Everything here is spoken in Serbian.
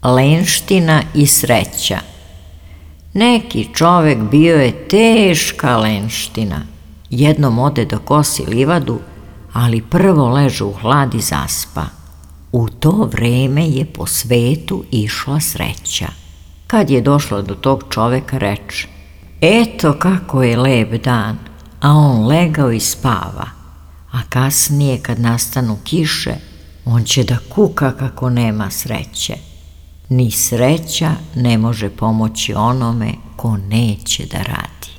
Lenština i sreća. Neki čovek bio je teška lenština. Jednom ode da kosi livadu, ali prvo leže u hlad i zaspa. U to vreme je po svetu išla sreća. Kad je došla do tog čoveka, reče: "Eto kako je lep dan", a on legao i spava. A kasnije, kad nastanu kiše, on će da kuka kako nema sreće. Ni sreća ne može pomoći onome ko neće da radi.